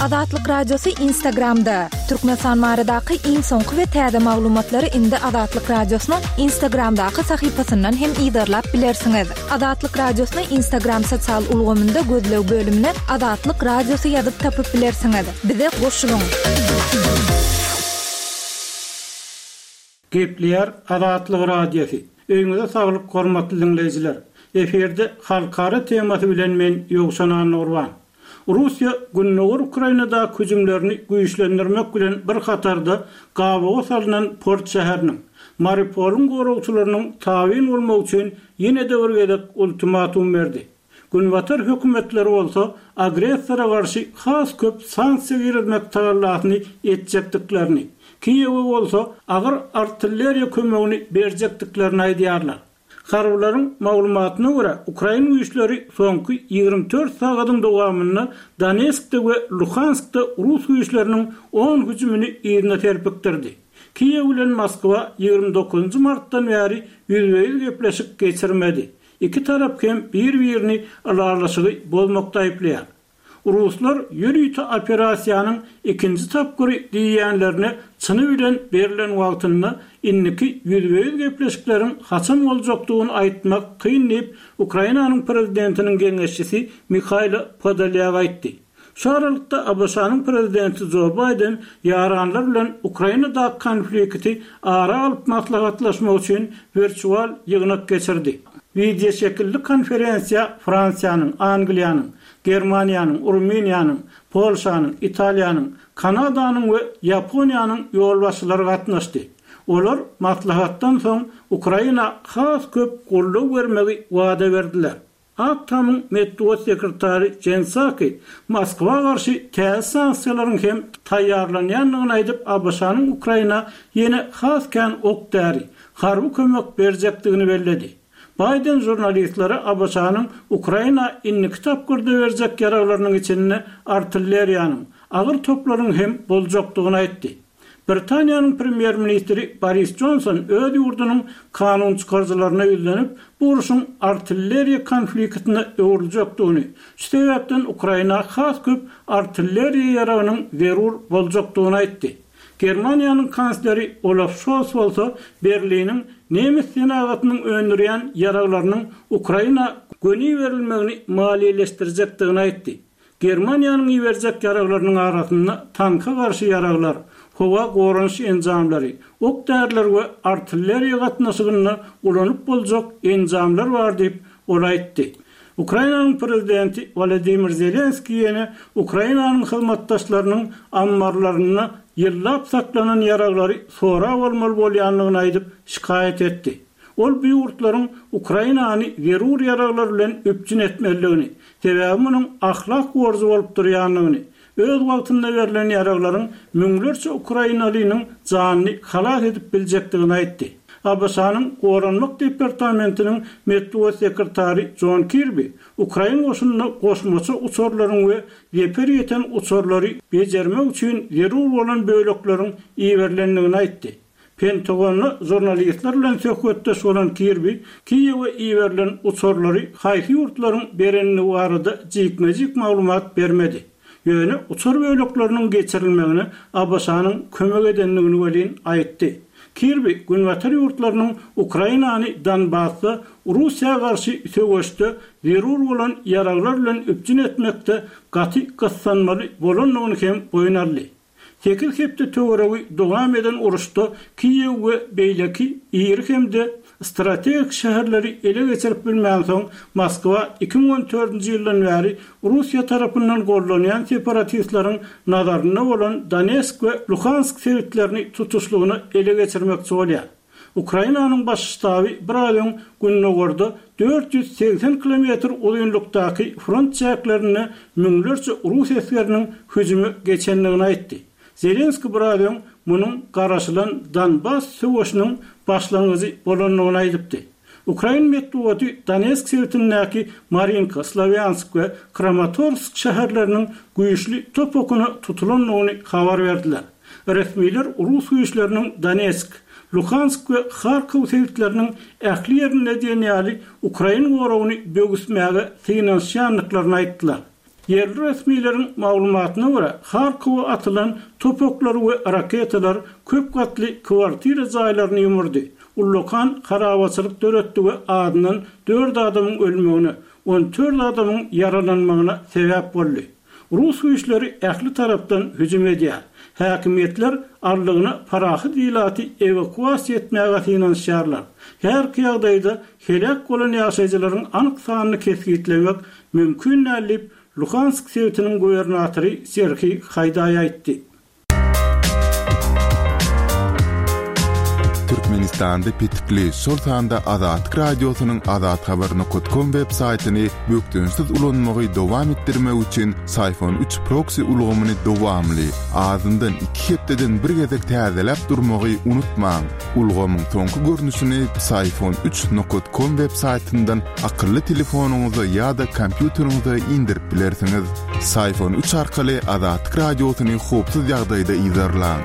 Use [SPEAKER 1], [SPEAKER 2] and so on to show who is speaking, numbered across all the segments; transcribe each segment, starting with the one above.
[SPEAKER 1] Azatlyk Radiosy Instagramda! Türkmenistan baradaky iň soňky we täze maglumatlary indi Azatlyk Radiosynyň Instagramdaky sahypasyndan hem yzarlap bilersiňiz. Azatlyk Radiosyny Instagram sosial ulgamynda gözleg bölümine Azatlyk Radiosy ýazyp tapyp bilersiňiz. Bize goşulyň!
[SPEAKER 2] Gepleýär Azatlyk Radiosy. Öýüňize saglyk hormatly diňleýjiler. Efirde halkara temasy bilen men Ýowşan Annagurban. Russiýa gündogar Ukrainadaky hüjümlerini güýçlendirmek bilen bir hatarda gabawa salnan port şäheriniň, Mariupolyň goragçylarynyň tabyn bolmagy üçin ýene-de bir gezek ultimatum berdi. Günbatar hökümetleri bolsa agressora garşy has köp sanksiýa girizmek tagallasyny etjekdiklerini, Kiýewe bolsa agyr artilleriýa kömegini berjekdiklerini aýdýarlar. Harbylaryň maglumatyna görä, ukrain güýçleri soňky 24 sagadyň dowamynda Donetskde we Luhanskda rus güýçleriniň on hüjümini yzyna serpikdirdi. Kiýew bilen Moskwa 29 martdan bäri ýüzbe-ýüz gepleşik geçirmedi. Iki tarap hem bir-birini ylalaşygy bozmakda aýyplaýar. Ruslar ýörite operasiýanyň ikinji tapgyry diýýänlerine çyny bilen berlen wagtynda indiki ýüzbe-ýüz gepleşikleriň haçan boljakdygyny aýtmak kyn diýip, Ukrainanyň prezidentiniň geňeşçisi Mihaýlo Podolýak aýtdy. Şu aralykda ABŞ-nyň prezidenti Jo Baýden ýaranlar bilen Ukrainadaky konflikti ara alyp maslahatlaşmak üçin wirtual ýygnak geçirdi. Wideoşekilli konferensiýa Fransiýanyň, Angliýanyň, Germaniýanyň, Rumyniýanyň, Polşanyň, Italiýanyň, Kanadanyň we Ýaponiýanyň ýolbaşçylary gatnaşdy. Olar maslahatdan soň Ukraina has köp goldaw bermegi wada berdiler. Ak Tamyň metbugat sekretary Jen Psaki Moskwa garşy täze sanksiýalaryň hem taýýarlanýandygyny aýdyp, ABŞ-nyň Ukraina ýene has kän ok-däri, harby kömek berjekdigini belledi. Baýden žurnalistlere ABŞ-nyň Ukraina indiki tapgyrda berjek ýaraglarynyň içinde artilleriýanyň, agyr toplaryň hem boljakdygyny aýtdy. Britaniýanyň premýer-ministri Boris Jonson öz ýurdunyň kanunçykaryjylaryna ýüzlenip, bu urşuň artilleriýa konfliktine öwrüljekdigini, şu sebäpden Ukraina has köp artilleriýa ýaragynyň zerur boljakdygyny aýtdy. Germaniýanyň kansleri Olaf Şols bolsa Berliniň nemes senagatynyň öndürýän ýaraglarynyň Ukraina göni berilmegini maliýeleşdirjekdigini aýtdy. Germaniýanyň iberjek ýaraglarynyň arasynda tanka garşy ýaraglar, howa goranyş enjamlary, ok-däriler we artilleriýa gatnaşygynda ulanyp boljak enjamlar bar diýip, ol aýtdy. Ukrainanyň prezidenti Wolodymyr Zelenskiý ýene Ukrainanyň hyzmatdaşlarynyň ammarlarynda ýyllap saklanan ýaraglary sorap almaly bolýandygyny aýdyp, şikaýat etdi. Ol bu ýurtlaryň Ukrainany zerur ýaraglar bilen üpjün etmelidigini, sebäbi munuň ahlak borjy bolup durýandygyny, öz wagtynda berlen ýaraglaryň müňlerçe ukrainalynyň janyny halas edip biljekdigini aýtdy. ABŞ-nyň Goranmak departamentiniň metbugat sekretary Jon Kirbi ukrain goşunyna goşmaça uçarlaryň we zeper ýeten uçarlary bejermek üçin zerur bolan bölekleriň iberilendigini aýtdy. Pentagonda žurnalistler bilen söhbetdeş bolan Kirbi Kiýewe iberilen uçarlary haýsy ýurtlaryň berendigi barada jikme-jik maglumat bermedi. Ýöne uçar bölekleriniň geçirilmegine ABŞ-nyň kömek edendigini welin aýtdy. Kirbi Günbatar ýurtlarynyň Ukrainany Donbasda Russiýa garşy söweşde zerur bolan ýaraglar bilen üpjün etmekde gaty gyssanmaly bolandygyny hem boýun aldy. Sekiz hepde töweregi dowam eden uruşda Kiýew we beýleki iri hem-de strategik şäherleri ele geçirip bilmänsoň, Moskwa 2014-nji ýyldan bäri Russiýa tarapyndan gollanýan separatistleriň nazarynda bolan Donetsk we Luhansk sebitlerini tutuşlygyna ele geçirmekçi bolýar. Ukrainanyň Baş ştaby bir aý öň gündogarda 480 kilometr uzynlykdaky front çäklerinde müňlerçe rus esgeriniň hüjüme geçendigini aýtdy. Zelenskiý biraz öň munuň garaşylan Donbass söweşiniň başlangyjy bolandygyny aýdypdy. Ukrain metbugaty Donetsk sebitindäki Marinka, Slowýansk we Kramatorsk şäherleriniň güýçli top okuna tutulandygyny habar berdiler. Resmiler rus güýçleriniň Donetsk, Luhansk we Harkow sebitleriniň ähli ýerinde diýen ýaly ukrain goragyny böwüsmäge synanyşýandyklaryny aýtdylar. Ýerli resmileriň maglumatyna görä, Harkowa atylan top oklary we raketalar köp gatly kwartira jaýlaryny ýumurdy, ullakan harabaçylyk döretdi we azyndan dört adamyň ölmegine, 14 adamyň ýaralanmagyna sebäp boldy. Rus güýçleri ähli tarapdan hüjüm edýär. Häkimiýetler aldygyna parahat ilaty ewakuasiýa etmäge synanyşýarlar. Häzirki ýagdaýda heläk bolan ýaşaýjylaryň anyk sanyny kesgitlemek mümkin däl diýip, Luhansk sebitiniň gubernatory Serhiý Haýdaý aýtdy.
[SPEAKER 3] Türkmenistanda petikli, şol sanda Azatlyk Radiosynyň azathabar nokat kom web saýtyny bökdençsiz ulanmagy dowam etdirmek üçin Syfon üç proksi ulgamyny dowamly, azyndan iki hepdeden bir gezek täzeläp durmagy unutmaň. Ulgamyň soňky görnüşini Syfon üç nokat kom web saýtyndan akylly telefonyňyza ýa-da kompýuteriňize indirip bilersiňiz. Syfon üç arkaly Azatlyk Radiosyny howpsuz ýagdaýda yzarlaň.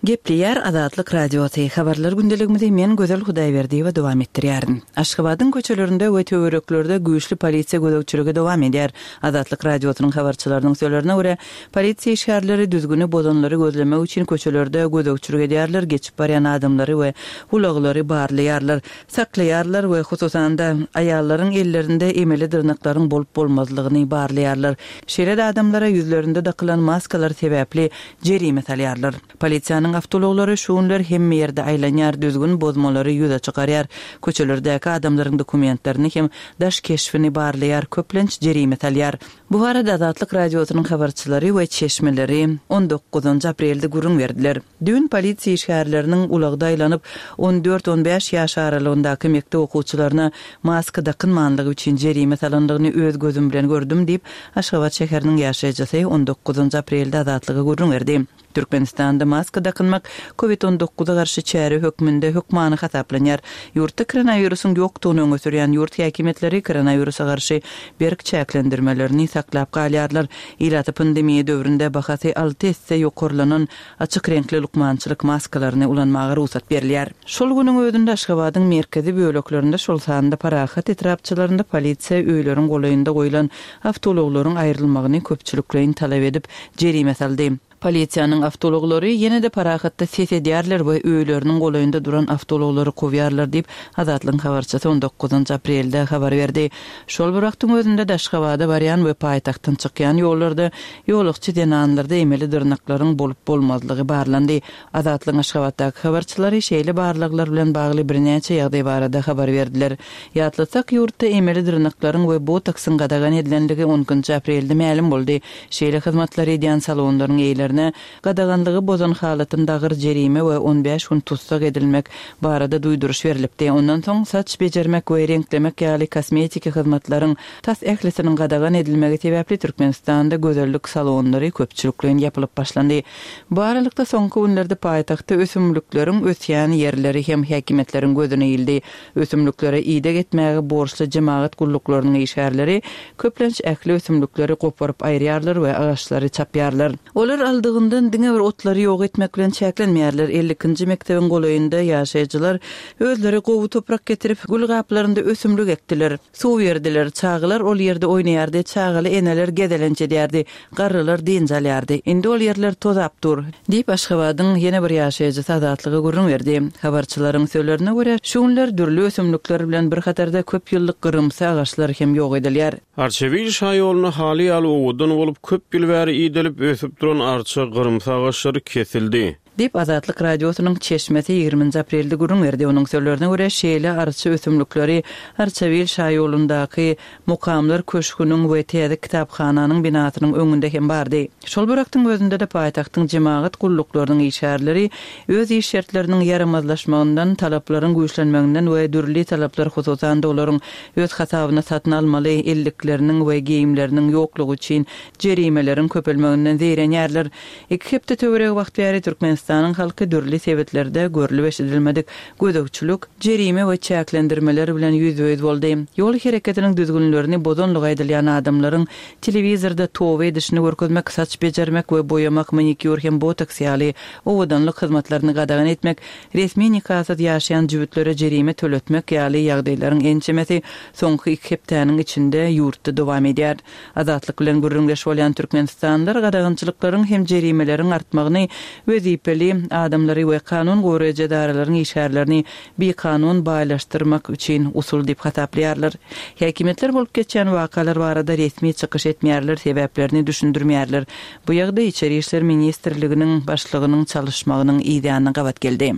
[SPEAKER 4] Gepleýär Azatlyk Radiosy, Habarlar gündeligimizi men Gözel Hudaýberdiýewa dowam etdirýärin. Aşgabadyň köçelerinde we töwereklerde güýçli polisiýa gözegçiligi dowam edýär. Azatlyk Radiosynyň habarçylarynyň sözlerine görä, polisiýa işgärleri düzgüni bozanlary gözlemek üçin köçelerde gözegçilik edýärler, geçip barýan adamlary we ulaglary barlaýarlar. Saklaýarlar we hususan-da, aýallaryň ellerinde emeli dyrnaklaryň bolup-bolmazlygyny barlaýarlar. Şeýle-de adamlara ýüzlerinde dakylan maskalar sebäpli jerime salýarlar. Polisiýanyň awtoulaglary şu günler hemme ýerde aýlanýar, düzgün bozmalary ýüze çykarýar, köçelerdäki adamlaryň dokumentlerini hem daş keşbini barlaýar, köplenç jerime salýar. Bu barada Azatlyk Radiosynyň habarçylary we çeşmeleri on dokuzynjy aprelde gürrüň berdiler. Düýn polisiýa işgärleriniň ulagda aýlanyp, on dört-on bäş ýaş aralygyndaky mekdep okuwçylaryna maska dakynmanlygy üçin jerime salandygyny öz gözüm bilen gördüm diýip, Aşgabat şäheriniň ýaşaýjysy on dokuzynjy aprelde Azatlyga gürrüň berdi. Türkmenistanda maska dakynmak Covid on dokuza garşy çäre hökmünde hökmany hasaplanýar. Ýurtda koronawirusyň ýokdugyny öňe sürýän ýurt häkimiýetleri koronawirusa garşy berk çäklendirmelerini saklap galýarlar. Ilata pandemiýa döwründe bahasy alty esse ýokarlanan açyk reňkli lukmançylyk maskalaryny ulanmaga rugsat berilýär. Şol günüň özünde Aşgabadyň merkezi böleklerinde, şol sanda Parahat etrapçalarynda polisiýa öýleriň golaýynda goýlan awtoulaglaryň aýrylmagyny köpçülikleýin talap edip, jerime saldy. Polisiýanyň awtoulaglary ýene-de Parahatda ses edýärler we öýleriniň golaýynda duran awtoulaglary kowýarlar diýip, Azatlygyň habarçysy on dokuzynjy aprelde habar berdi. Şol bir wagtyň özünde-de Aşgabada barýan we paýtagtdan çykýan ýollarda ýolagçy zenanlarda emeli dyrnaklaryň bolup-bolmazlygy barlandy. Azatlygyň Aşgabatdaky habarçylary şeýle barlaglar bilen bagly birnäçe ýagdaý barada habar berdiler. Ýatlatsak, ýurtda emeli dyrnaklaryň we botoksyň gadagan edilenligi on ikinji aprelde mälim boldy. Şeýle hyzmatlary edýän salonlaryň eýelerine gadaganlygy bozan halatynda agyr jerime we on bäş gün tussag edilmek barada duýduryş berlipdi. Ondan soň saç bejermek we reňklemek ýaly kosmetiki hyzmatlaryň tas ählisiniň gadagan edilmegi sebäpli Türkmenistanda gözellik salonlary köpçülikleýin ýapylyp başlandy. Bu aralykda soňky günlerde paýtagtda ösümlikleriň ösýän ýerleri hem häkimiýetleriň gözüne ildi. Ösümliklere ideg etmäge borçly jemagat gulluklarynyň işgärleri köplenç ähli ösümlikleri goparyp aýyrýarlar we agaçlary çapýarlar. Olar aldygyndan diňe bir otlary ýok etmek bilen çäklenmeýärler. 52-nji mekdebiň golaýynda ýaşaýjylar özleri gowy toprak getirip, gül gaplarynda ösümlik ekdiler. Suw berdiler. Çagalar ol ýerde oýnaýardy, çagaly eneler gezelenç edýärdi. Garrylar dynç alýardy. Indi ol ýerler tozap dur. Diýip, Aşgabadyň ýene bir ýaşaýjysy Azatlyga gürrüň berdi. Habarçylaryň sözlerine görä, şu günler dürli ösümlikler bilen bir hatarda köp ýyllyk gyrymsy agaçlar hem ýok edilýär.
[SPEAKER 5] Arçabil şaýolunda haly ýaly owadan bolup, köp ýyl bäri idelip, ösüp duran arça, gyrymsy agaçlary kesildi.
[SPEAKER 4] Diýip, Azatlyk Radiosynyň çeşmesi ýigriminji aprelde gürrüň berdi. Onuň sözlerine görä, şeýle arça ösümlikleri Arçabil şaýolundaky Mukamlar köşgüniň we täze kitaphananyň binasynyň öňünde hem bardy. Şol bir wagtyň özünde-de paýtagtyň jemagat gulluklarynyň işgärleri öz iş şertleriniň ýaramazlaşmagyndan, talaplaryň güýçlenmeginden we dürli talaplar, hususan-da olaryň öz hasabyna satyn almaly ellikleriniň we geýimleriniň ýoklugy üçin jerimeleriň köpelmeginden zeýrenýärler. Iki hepde töweregi wagt bäri Türkmenistanyň. Türkmenistanyň halky dürli sebitlerde görlüp-eşidilmedik gözegçilik, jerime we çäklendirmeler bilen ýüzbe-ýüz boldy. Ýol hereketiniň düzgünlerini bozanlygy aýdylýan adamlaryň telewizorda toba edişini görkezmek, saç bejermek we boýamak, manikýur hem botoks ýaly owadanlyk hyzmatlaryny gadagan etmek, resmi nikasyz ýaşaýan jübütlere jerime töletmek ýaly ýagdaýlaryň ençemesi soňky iki hepdäniň içinde ýurtda dowam edýär. Azatlyk bilen gürrüňdeş bolýan türkmenistanlylar gadagançylyklaryň hem jerimeleriň artmagyny wezipeli adamlary we kanun goraýjy edaralaryň işgärlerini bikanun baýlaşdyrmak üçin usul diýip hasaplaýarlar. Häkimiýetler bolup geçýän wakalar barada resmi çykyş etmeýärler, sebäplerini düşündirmeýärler. Bu ýagdaý Içeri işler ministrliginiň başlygynyň çalyşmagynyň yzýanyna gabat geldi.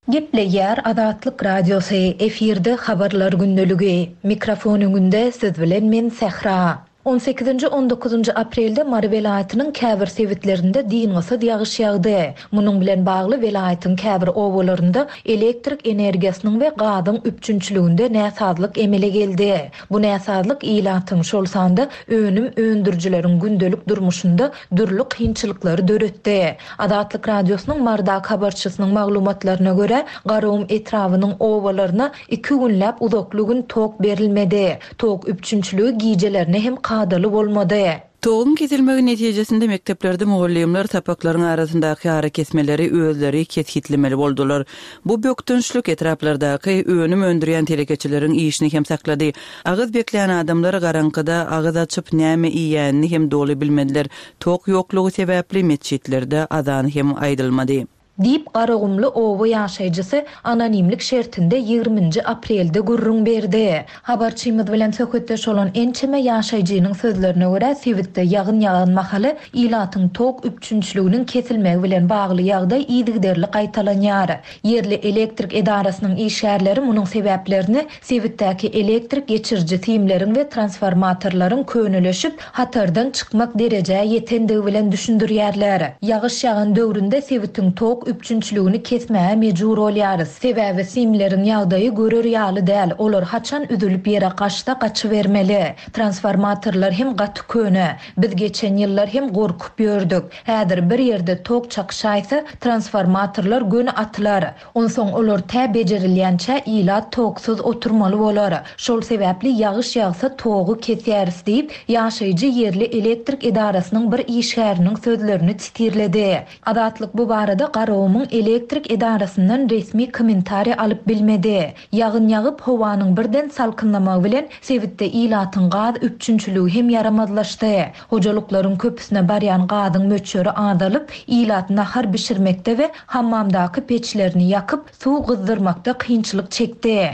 [SPEAKER 1] Gepleýär Azatlyk Radiosy, efirde Habarlar gündeligi. Mikrofon öňünde siz bilen men Sähra. On sekizinji, on dokuzynjy aprelde Mary welaýatynyň käbir sebitlerinde dyngysyz ýagyş ýagdy. Munuň bilen bagly welaýatyň käbir obalarynda elektrik energiýasynyň we gazyň üpjünçiliginde näsazlyk emele geldi. Bu näsazlyk ilatyň, şol sanda önüm öndürijileriň gündelik durmuşynda dürli kynçylyklary döretdi. Azatlyk Radiosynyň Marydaky habarçysynyň maglumatlaryna görä, Garagum etrabynyň obalaryna iki günläp uzakly gün tok berilmedi. Tok üpjünçiligi gijelerine hem kadaly bolmady.
[SPEAKER 4] Toguň kesilmegi netijesinde mekdeplerde mugallymlar sapaklaryň arasyndaky arakesmeleri özleri kesgitlemeli boldular. Bu bökdençlik etraplardaky önüm öndürýän telekeçileriň işini hem saklady. Agyz beklän adamlar garaňkyda agyz açyp näme iýýänini hem doly bilmediler. Tok ýoklugy sebäpli metjitlerde azan hem aýdylmady.
[SPEAKER 1] Diýip, garagumly oba ýaşaýjysy anonimlik şertinde ýigriminji aprelde gürrüň berdi. Habarçymyz bilen söhbetdeş bolan ençeme ýaşaýjynyň sözlerine görä, sebitde ýagyn ýagan mahaly ilatyň tok üpjünçiliginiň kesilmegi bilen bagly ýagdaý yzygiderli gaýtalanýar. Ýerli elektrik edarasynyň işgärleri munuň sebäplerini sebitdäki elektrik geçiriji simleriň we transformatorlaryň könelişip, hatardan çykmak derejä ýetendigi bilen düşündirýärler. Ýagyş ýagan döwründe sebitiň tok üpjünçiligini kesmäge mejbur bolýarys. Sebäbi simleriň ýagdaýy görer ýaly däl, olar haçan üzülip ýere gaçsa gaçybermeli. Transformatorlar hem gaty köne. Biz geçen ýyllar hem gorkup ýördük. Häzir bir ýerde tok çakyşaýsa, transformatorlar göni atylar. Onsoň olar tä bejerilýänçä ilat toksuz oturmaly bolar. Şol sebäpli ýagyş ýagsa togy kesýäris diýip, ýaşaýjy ýerli elektrik edarasynyň bir işgäriniň sözlerini titirledi. Azatlyk bu barada Garagumuň elektrik edarasyndan resmi kommentariý alyp bilmedi. Ýagyn ýagyp, howanyň birden salkynlamagy bilen sebitde ilatyň gaz üpjünçiligi hem ýaramazlaşdy. Hojalyklaryň köpüsine barýan gazyň möçberi azalyp, ilat nahar bişirmekde we hammamdaky peçlerini ýakyp, suw gyzdyrmakda kynçylyk çekdi.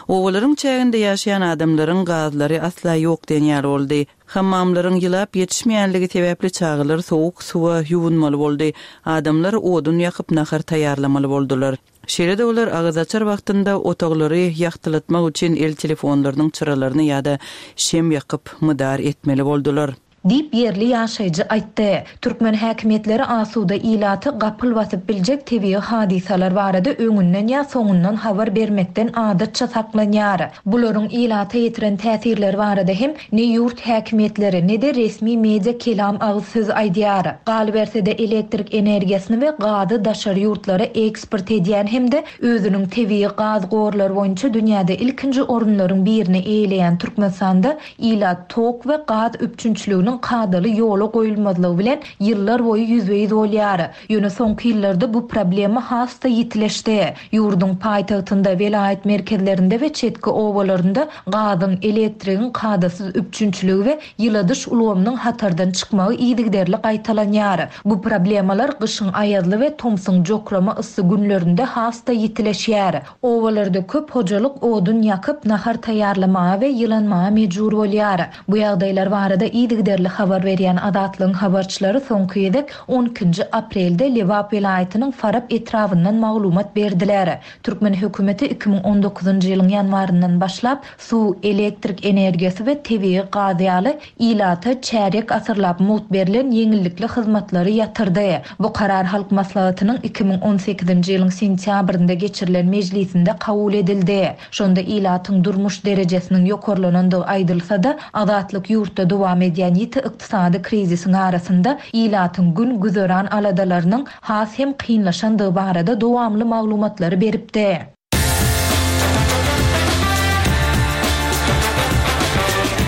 [SPEAKER 4] Obalaryň çäginde ýaşaýan adamlaryň gazlary asla ýok diýen ýaly boldy. Hammamlaryň ýylap ýetişmeýänligi sebäpli çagalar sowuk suwa ýuwunmaly boldy. Adamlar odun ýakyp nahar taýýarlamaly boldular. Şeýle-de olar agyzaçar wagtynda otaglary ýagtylatmak üçin el telefonlarynyň çyralaryny ýa-da şem ýakyp mydar etmeli boldular.
[SPEAKER 1] Diýip, ýerli ýaşaýjy aýtdy. Türkmen häkimiýetleri asuda ilaty gapyl basyp biljek tebigy hadysalar barada öňünden ýa soňundan habar bermekden adatça saklanýar. Bularyň ilata ýetiren täsirleri barada hem ne ýurt häkimiýetleri, ne-de resmi media kelam agyz söz aýdýar. Galyberse-de, elektrik energiýasyny we gazy daşary ýurtlara eksport edýän hem-de özüniň tebigy gaz gorlary boýunça dünýäde ilkinji orunlaryň birini eýeleýän Türkmenistanda ilat tok we gaz üpjünçiliginiň kadaly ýola goýulmazlygy bilen ýyllar boýy ýüzbe-ýüz bolýar. Ýöne soňky ýyllarda bu problema has-da ýitileşdi. Ýurduň paýtagtynda, welaýat merkezlerinde we çetki obalarynda gazyň, elektrigiň kadasyz üpjünçiligi we ýyladyş ulgamynyň hatardan çykmagy yzygiderli gaýtalanýar. Bu problemalar gyşyň aýazly we tomsuň jokrama yssy günlerinde has-da ýitileşýär. Obalarda köp hojalyk odun ýakyp, nahar taýýarlamaga we ýylanmaga mejbur bolýar. Bu ýagdaýlar barada yzygiderli. Yzygiderli habar berýän Azatlygyň habarçylary soňky gezek on ikinji aprelde Lebap welaýatynyň Farap etrabyndan maglumat berdiler. Türkmen hökümeti 2019-njy ýylyň ýanwaryndan başlap, suw, elektrik energiýasy we tebigy gaz ýaly ilata çärýek asyrlap mugt berlen ýeňillikli hyzmatlary ýatyrdy. Bu karar Halk Maslahatynyň 2018-nji ýylyň sentýabrynda geçirilen mejlisinde kabul edildi. Şonda ilatyň durmuş derejesiniň ýokarlanandygy aýdylsa-da, Azatlyk ýurtda dowam edýän ýiti ykdysady krizisiň arasynda ilatyň gün-güzeran aladalarynyň has hem kynlaşandygy barada dowamly maglumatlary beripdi.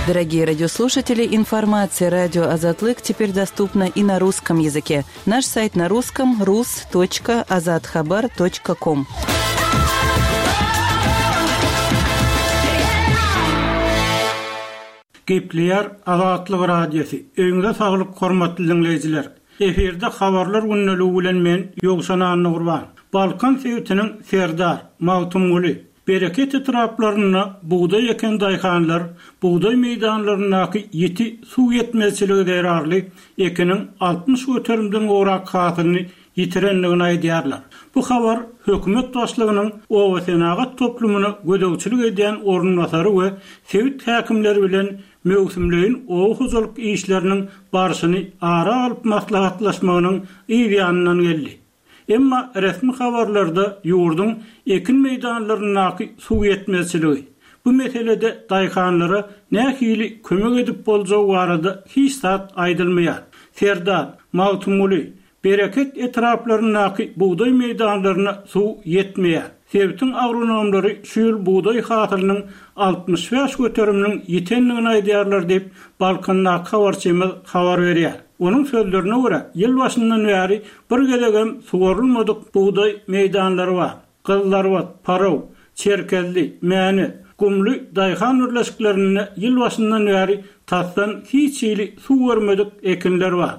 [SPEAKER 4] Дорогие радиослушатели, информация радио Азатлык теперь доступна и на русском языке. Наш сайт на русском rus.azathabar.com.
[SPEAKER 2] Gepleýär Azatlyk Radiosy. Öýüňize saglyk hormatly diňleýjiler. Efirde habarlar gündeligi bilen men Ýowşan Annagurban. Balkan sebitiniň Serdar, Magtymguly, Bereket etraplarynda bugdaý eken daýhanlar bugdaý meýdanlaryndaky ýiti suw ýetmezçiligi zerarly ekiniň 60 göterimden gowrak hasylyny ýitirendigini aýdýarlar. Bu habar hökümet başlygynyň obasenagat toplumyna gözegçilik edýän orunbasary we sebit häkimleri bilen möwsümleýin oba hojalyk işleriniň barşyny ara alyp maslahatlaşmagynyň yz ýanyndan geldi. Emma resmi habarlarda ýurduň ekin meýdanlaryndaky suw ýetmezçiligi, bu meselede daýhanlara nähili kömek edip boljagy barada hiç zat aýdylmaýar. Serdar, Magtymguly, Bereket etraplaryndaky bugdaý meýdanlaryna suw ýetmeýär. Sebitiň agronomlary şu ýyl bugdaý hasylynyň 65 göteriminiň ýitendigini aýdýarlar diýip, Balkandaky habarçymyz habar berýär. Onuň sözlerine görä, ýyl başyndan bäri bir gezegem suwarylmadyk bugdaý meýdanlary bar. Gyzylarbat, Paraw, Çerkezli, Mäne, Gumly daýhan birleşiklerinde ýyl başyndan bäri tasdan hiç hili suw görmedik ekinler bar.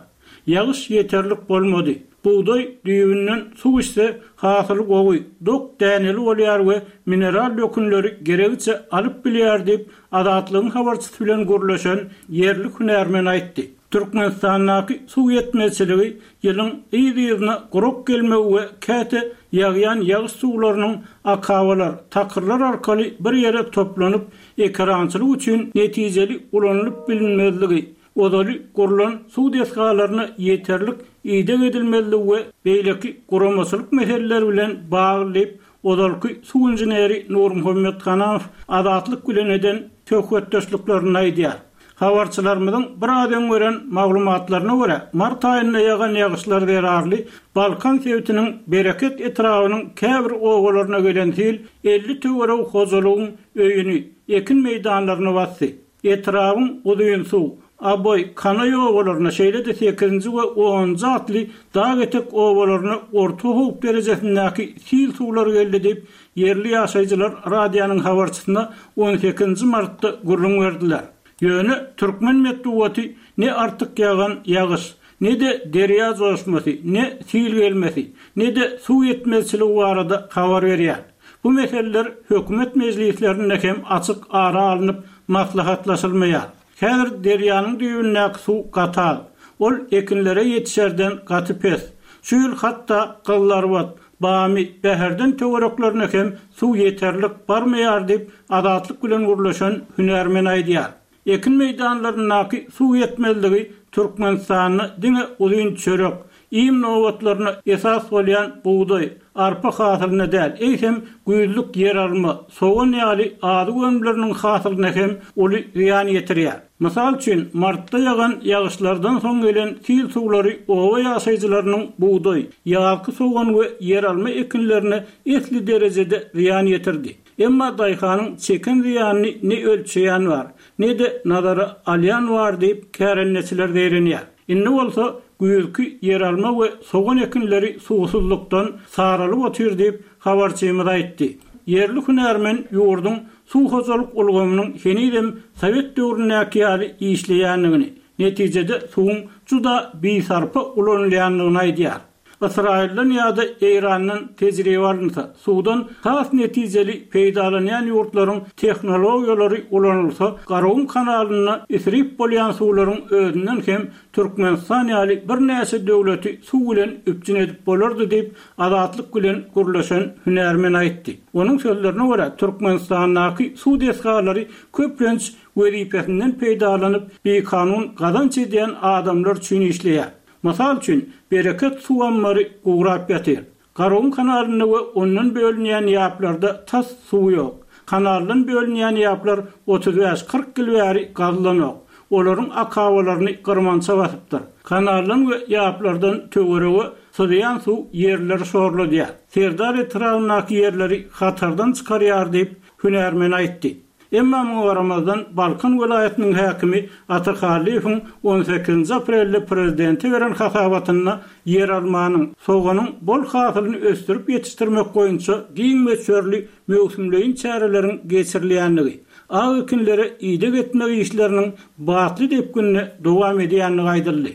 [SPEAKER 2] Ýagyş ýeterlik bolmady. Bugdaý düýbünden suw içse, hasyly gowy, dok däneli bolýar we mineral dökünleri geregiçe alyp bilýär diýip, Azatlygyň habarçysy bilen gürleşen ýerli hünärmen aýtdy. Türkmenistandaky suw ýetmezçiligi ýylyň yz-yzyna gurak gelmegi we käte ýagýan ýagyş suwlarynyň akabalar, takyrlar arkaly bir ýere toplanyp, ekerançylyk üçin netijeli ulanylyp bilinmezligi, Ozaly gurlan suw desgalaryna ýeterlik ideg edilmezligi we beýleki guramaçylyk meseleleri bilen bagly diýip, ozalky suw inženeri Nurmuhammet Hanamow Azatlyk bilen eden söhbetdeşliklerinde aýdýar. Habarçylarymyzyň biraz öň beren maglumatlaryna görä, mart aýynda ýagan ýagyşlar zerarly Balkan sebitiniň Bereket etrabynyň käbir obalaryna gelen sil 50 töweregi hojalygyň öýüni, ekin meýdanlaryny basdy. Etrabyň Uzynsuw, Aboý, Kanaý obalaryna, şeýle-de sekizinji we onunjy atly dag etek obalaryna orta howp derejesindäki sil suwlary geldi diýip, ýerli ýaşaýjylar radionyň habarçysyna on sekizinji martda gürrüň berdiler. Ýöne türkmen metbugaty ne artyk ýagan ýagyş, ne-de derýa joşmasy, ne sil gelmesi, ne-de suw ýetmezçiligi barada habar berýär. Bu meseleler hökümet mejlislerinde hem açyk ara alnyp maslahatlaşylmaýar. Häzir derýanyň düýbündäki suw gaty az. Ol ekinlere ýetişerden gaty pes. Şu ýyl hatda Gyzylarbat, Bamy, Bäherden töwereklerine hem suw ýeterlik barmaýar diýip, Azatlyk bilen gürleşen hünärmen aýdýar. Ekin meýdanlaryndaky suw ýetmezligi Türkmenistanda diňe uzyn çörek, iým nobatlaryna esas bolýan bugdaý, arpa hasylyna däl, eýsem, güýzlük ýeralma, sogan ýaly azyk önümleriniň hasylyna hem uly zyýan ýetirýär. Mysal üçin, martda ýagan ýagyşlardan soň gelen sil suwlary oba ýaşaýjylarynyň bugdaý, ýazky sogan we ýeralma ekinlerine esli derejede zyýan ýetirdi. Emma daýhanyň çeken zyýanyny ne ölçeýän bar, ne-de nazara alýan bar diýip, kärendeçiler zeýrenýär. Indi bolsa güýzki ýeralma we sogan ekinleri suwsuzlykdan saralyp otyr diýip, habarçymyz aýtdy. Ýerli hünärmen ýurduň suw hojalyk ulgamynyň henizem sowet döwründäki ýaly işleýändigini, netijede suwuň juda bisarpa ulanylýandygyny aýdýar. Ysraýyldan ýa-da Eýrandan tejribe alynsa, suwdan has netijeli peýdalanýan ýurtlaryň tehnologiýalary ulanylsa, Garagum kanalynda isrip bolýan suwlaryň özünden hem Türkmenistan ýaly birnäçe döwleti suw bilen üpjün edip bolardy diýip, Azatlyk bilen gürleşen hünärmen aýtdy. Onuň sözlerine görä, Türkmenistandaky suw desgalary köplenç wezipesinden peýdalanyp, bikanun gazanç edýän adamlar üçin işleýär. Mysal üçin, Bereket suw ammary gurap ýatyr. Garagum kanalynda we ondan bölünýän ýaplarda tas suw ýok. Kanaldan bölünýän ýaplar 35-40 ýyl bäri gazylanok. Olaryň akabalaryny gyrmança basypdyr. Kanaldan we ýaplardan töwerege syzýan suw ýerleri şorladýar. Serdar etrabyndaky ýerleri hatardan çykarýar diýip, hünärmen aýtdy. Emma muňa garamazdan, Balkan welaýatynyň häkimi Ata Hallyýewiň on sekizinji aprelde prezidente beren hasabatynda ýeralmanyň, soganyň bol hasylyny ösdürip ýetişdirmek boýunça giň möçberli möwsümleýin çäreleriň geçirilýändigi, ak ekinlere ideg etmek işleriniň batly depginde dowam edýändigi aýdyldy.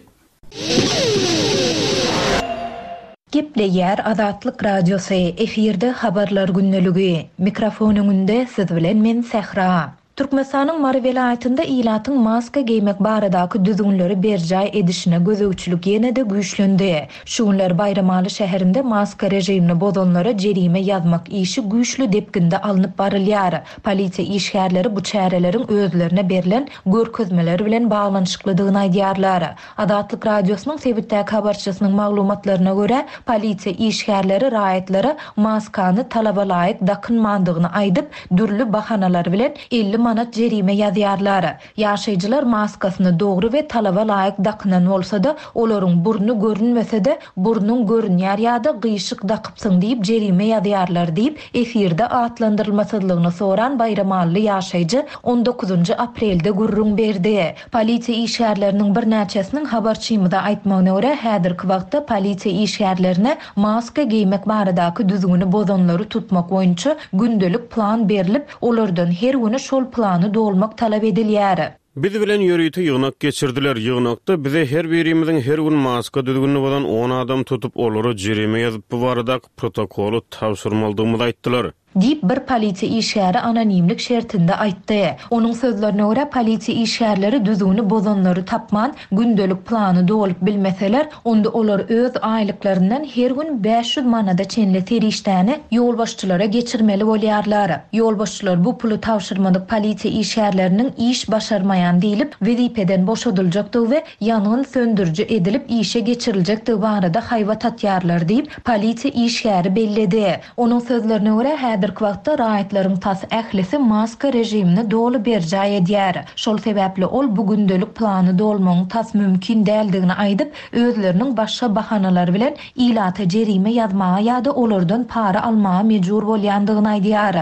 [SPEAKER 1] Gepleýär Azatlyk Radiosy, efirde Habarlar gündeligi. Mikrofon öňünde siz bilen men Sähra. Türkmenistanyň Mary welaýatynda ilatyň maska geýmek baradaky düzgünleri berjaý edişine gözegçilik ýene-de güýçlendi. Şu günler Baýramaly şäherinde maska režimini bozanlara jerime ýazmak işi güýçli depginde alnyp barylýar. Polisiýa işgärleri bu çäreleriň özlerine berlen görkezmeler bilen baglanyşyklydygyny aýdýarlar. Azatlyk Radiosynyň sebitdäki habarçysynyň maglumatlaryna görä, polisiýa işgärleri raýatlara maskany talabalaýyk dakynmandygyny aýdyp, dürli bahanalar bilen 50 manat jerime ýazýarlar. Ýaşaýjylar maskasyny dogry we talaba laýyk dakynan bolsa-da, olaryň burny görünmese-de, burnuň görünýär ýa-da gyşyk dakypsyň diýip jerime ýazýarlar diýip, efirde atlandyrylmasyzlygyny soran baýramally ýaşaýjy on dokuzynjy aprelde gürrüň berdi. Polisiýa işgärleriniň birnäçesiniň habarçymyza aýtmagyna görä, häzirki wagtda polisiýa işgärlerine maska geýmek baradaky düzgüni bozanlary tutmak boýunça gündelik plan berlip, olardan her güni şol plany dolmak talap edilýär.
[SPEAKER 5] Biz bilen ýörite ýygnak geçirdiler. Ýygnakda bize her birimiziň her gün maska düzgünini bozan on adam tutup, olara jerime ýazyp, bu baradaky protokoly tabşyrmalydygymyzy aýtdylar.
[SPEAKER 1] Diýip, bir polisiýa işgäri anonimlik şertinde aýtdy. Onuň sözlerine görä, polisiýa işgärleri düzgüni bozanlary tapman, gündelik plany dolup bilmeseler, onda olar öz aýlyklaryndan her gün 500 manada çenli serişdäni ýolbaşçylara geçirmeli bolýarlar. Ýolbaşçylar bu puly tabşyrmadyk polisiýa işgärleriniň iş başarmaýan diýlip, wezipeden boşadyljakdygy we ýangyn söndüriji edilip işe geçiriljekdigi barada haýbat atýarlar diýip, polisiýa işgäri belledi. Onuň sözlerine görä, häzirki wagtda raýatlaryň tas ählisi maska režimini doly berjaý edýär. Şol sebäpli ol bu gündelik plany dolmagyň tas mümkin däldigini aýdyp, özleriniň başga bahanalar bilen ilata jerime ýazmaga ýa-da olardan para almaga mejbur bolýandygyny aýdýar.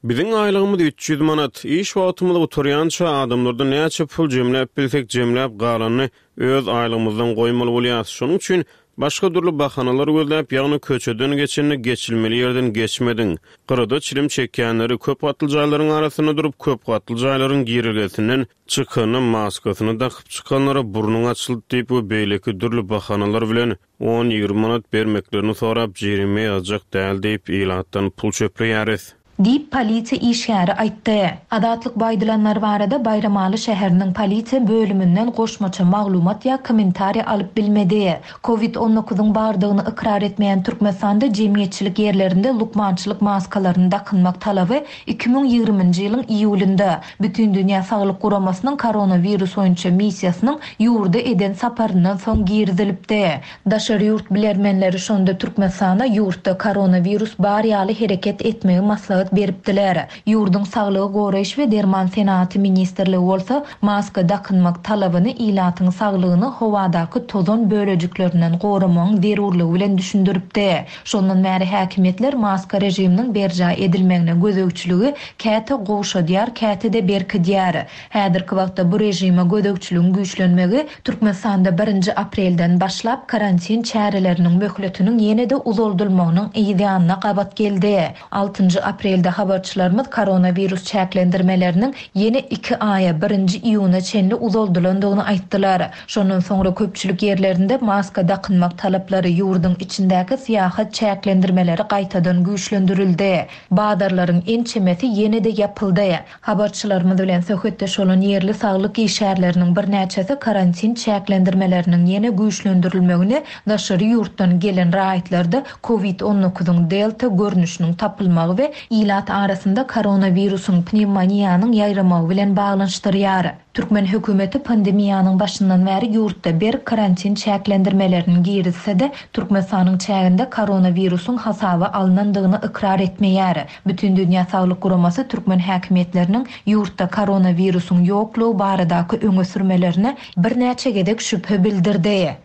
[SPEAKER 5] Biziň aýlygymyz 300 manat. Iş wagtymyz gutarýança adamlardan näçe pul jemläp bilsek jemläp galanyny öz aýlygymyzdan goýmaly bolýas. Şonuň üçin başga dürli bahanalar gözläp, ýagny köçeden geçende geçilmeli ýerden geçmediň. Gyrada çilim çekýänleri, köp gatly jaýlaryň arasynda durup köp gatly jaýlaryň girelgesinden çykanda maskasyny dakyp çykanlara burnuň açyldy diýip we beýleki dürli bahanalar bilen On-ýigrimi manat bermeklerini sorap, jerime ýazjak däl diýip, ilatdan pul çöpleýäris.
[SPEAKER 1] Diýip, polisiýa işgäri aýtdy. Azatlyk bu aýdylanlar barada Baýramaly şäheriniň polisiýa bölüminden goşmaça maglumat ýa kommentariý alyp bilmedi. Covid on dokuzyň bardygyny ykrar etmeýän Türkmenistanda jemgyýetçilik ýerlerinde lukmançylyk maskalaryny dakynmak talaby 2020-nji ýylyň iýulynda, Bütindünýä Saglyk Guramasynyň koronawirus boýunça missiýasynyň ýurda eden saparyndan soň girizilipdi. Daşary ýurt bilermenleri şonda Türkmenistana ýurtda koronawirus bar ýaly hereket etmegi maslahat beripdiler. Ýurduň Saglygy goraýyş we derman senagaty ministrligi bolsa maska dakynmak talabyny ilatyň saglygyny howadaky tozan bölejiklerinden goramagyň zerurlygy bilen düşündiripdi. Şondan bäri häkimiýetler maska režiminiň berjaý edilmegine gözegçiligi käte gowşadýar, käte-de berkidýär. Häzirki wagtda bu režime gözegçiligiň güýçlenmegi Türkmenistanda birinji aprelden başlap karantin çäreleriniň möhletiniň ýene-de uzaldylmagynyň yz ýanyna gabat geldi. Altynjy aprelde. Aprelde habarçylarymyz koronawirus çäklendirmeleriniň ýene iki aýa, birinji iýuna çenli uzaldylandygyny aýtdylar. Şondan soňra köpçülik ýerlerinde maska dakynmak talaplary, ýurduň içindäki syýahat çäklendirmeleri gaýtadan güýçlendirildi. Bazarlaryň ençemesi ýene-de ýapyldy. Habarçylarymyz bilen söhbetdeş bolan ýerli saglyk işgärleriniň birnäçesi karantin çäklendirmeleriniň ýene güýçlendirilmegini daşary ýurtdan gelen raýatlarda covid on dokuzyň delta görnüşiniň tapylmagy we ilat arasynda koronawirusyň pnewmoniýanyň ýaýramagy bilen baglanyşdyrýar. Türkmen hökümeti pandemiýanyň başyndan bäri ýurtda berk karantin çäklendirmelerini girizse-de, Türkmenistanyň çäginde koronawirusyň hasaba alnandygyny ykrar etmeýär. Bütindünýä Saglyk Guramasy türkmen häkimiýetleriniň ýurtda koronawirusyň ýoklugy baradaky öňe sürmelerine birnäçe gezek şübhe bildirdi.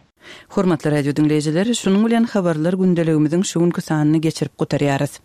[SPEAKER 4] Hormatly radio diňleýjiler, şunuň bilen Habarlar gündeligimiziň şu günki sanyny geçirip gutarýarys.